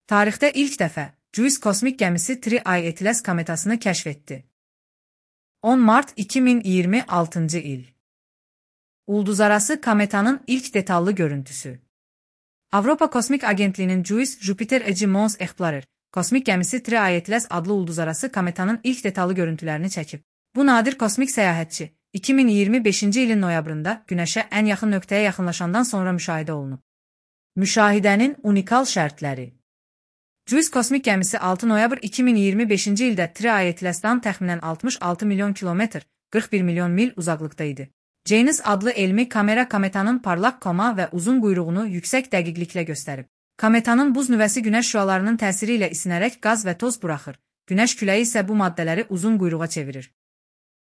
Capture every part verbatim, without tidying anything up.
Tarixdə ilk dəfə JUICE kosmik gəmisi Tri I Atlas kometasını kəşf etdi. on mart iki min iyirmi altıncı il. Ulduzarası kometanın ilk detallı görüntüsü. Avropa Kosmik Agentliyinin JUICE Jupiter Eci Mons Explorer kosmik gəmisi Tri I Atlas adlı ulduzarası kometanın ilk detallı görüntülərini çəkib. Bu nadir kosmik səyahətçi iki min iyirmi beşinci ilin noyabrında Günəşə ən yaxın nöqtəyə yaxınlaşandan sonra müşahidə olunub. Müşahidənin unikal şərtləri. JUICE kosmik gəmisi altı noyabr iki min iyirmi beşinci ildə Tri I Atlas'dan təxminən altmış altı milyon kilometr, qırx bir milyon mil uzaqlıqda idi. JANUS adlı elmi kamera kometanın parlaq koma və uzun quyruğunu yüksək dəqiqliklə göstərib. Kometanın buz nüvəsi günəş şüalarının təsiri ilə isinərək qaz və toz buraxır. Günəş küləyi isə bu maddələri uzun quyruğa çevirir.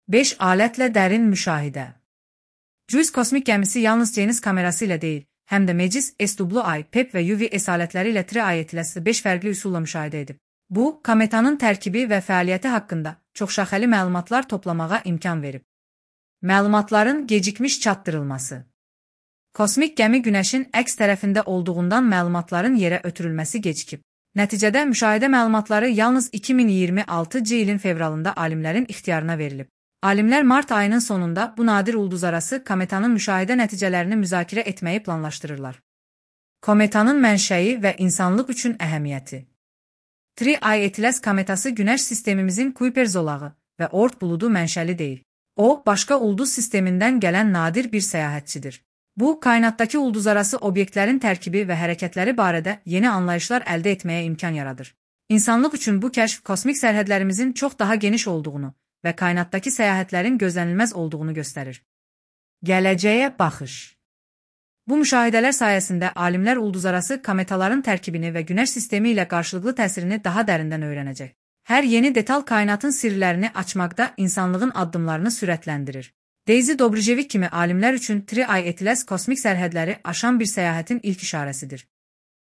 beş alətlə dərin müşahidə. JUICE kosmik gəmisi yalnız JANUS kamerası ilə deyil, həm də MEGIS, S W I, P E P və U V S alətləri ilə Tri I Atlas'ı beş fərqli üsulla müşahidə edib. Bu, kometanın tərkibi və fəaliyyəti haqqında çoxşaxəli məlumatlar toplamağa imkan verib. Məlumatların gecikmiş çatdırılması. Kosmik gəmi Günəşin əks tərəfində olduğundan məlumatların yerə ötürülməsi gecikib. Nəticədə müşahidə məlumatları yalnız iki min iyirmi altıncı ilin fevralında alimlərin ixtiyarına verilib. Alimlər mart ayının sonunda bu nadir ulduzarası kometanın müşahidə nəticələrini müzakirə etməyi planlaşdırırlar. Kometanın mənşəyi və insanlıq üçün əhəmiyyəti. Tri I Atlas kometası Günəş sistemimizin Kuiper zolağı və Oort buludu mənşəli deyil. O, başqa ulduz sistemindən gələn nadir bir səyahətçidir. Bu, kainatdakı ulduzarası obyektlərin tərkibi və hərəkətləri barədə yeni anlayışlar əldə etməyə imkan yaradır. İnsanlıq üçün bu kəşf kosmik sərhədlərimizin çox daha geniş olduğunu və kainatdakı səyahətlərin gözlənilməz olduğunu göstərir. Gələcəyə baxış. Bu müşahidələr sayəsində alimlər ulduzarası kometaların tərkibini və Günəş sistemi ilə qarşılıqlı təsirini daha dərindən öyrənəcək. Hər yeni detal kainatın sirlərini açmaqda insanlığın addımlarını sürətləndirir. Daisy Dobrjevik kimi alimlər üçün Tri I Atlas kosmik sərhədləri aşan bir səyahətin ilk işarəsidir.